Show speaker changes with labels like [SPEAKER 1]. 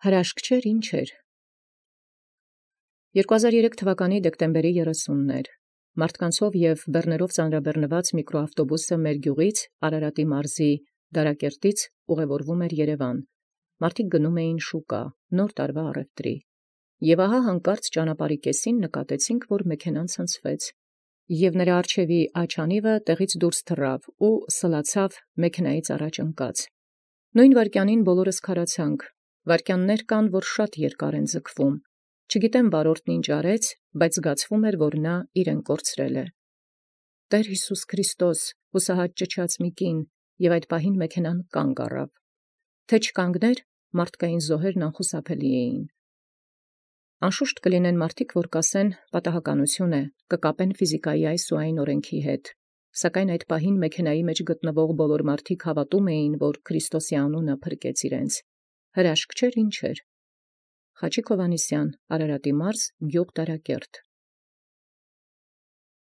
[SPEAKER 1] Հրաշք չէր, ինչ էր։ 2003 թվականի դեկտեմբերի 30-ն մարդկանցով և բեռներով ծանրաբեռնված միկրոավտոբուսը մեր գյուղից Արարատի մարզի Դարակերտից ուղևորվում էր Երևան։ Մարդիկ գնում էին շուկա, նոր տարվա առևտրի։ Եւ ահա հանկարծ ճանապարհի կեսին նկատեցինք, որ մեքենան ցնցվեց, եւ նրա առջևի աչանիվը տեղից դուրս թռավ ու սլացավ մեքենայից առաջ ընկած։ Նույն վայրկյանին բոլորս քարացանք։ Վայրկյաններ կան, որ շատ երկար են ձգվում։ Չգիտեմ վարորդն ինչ արեց, բայց զգացվում էր, որ նա իրեն կորցրել է։ Տեր Հիսուս Քրիստոս, հուսահատ ճչաց մի կին, եւ այդ պահին մեքենան կանգ առավ։ Թե չկանգներ, մարդկային զոհերն անխուսափելի էին։ Անշուշտ կլինեն մարդիկ, որ կասեն պատահականություն է, կկապեն ֆիզիկայի այս ու այն օրենքի հետ։ Սակայն այդ պահին մեքենայի մեջ գտնվող բոլոր մարդիկ հավատում էին, որ Քրիստոսի անունը փրկեց իրենց։ Հրաշք չէր, ինչ էր։ Խաչիկ Հովհաննիսյան, Արարատի մարզ, գյուղ Դարակերտ։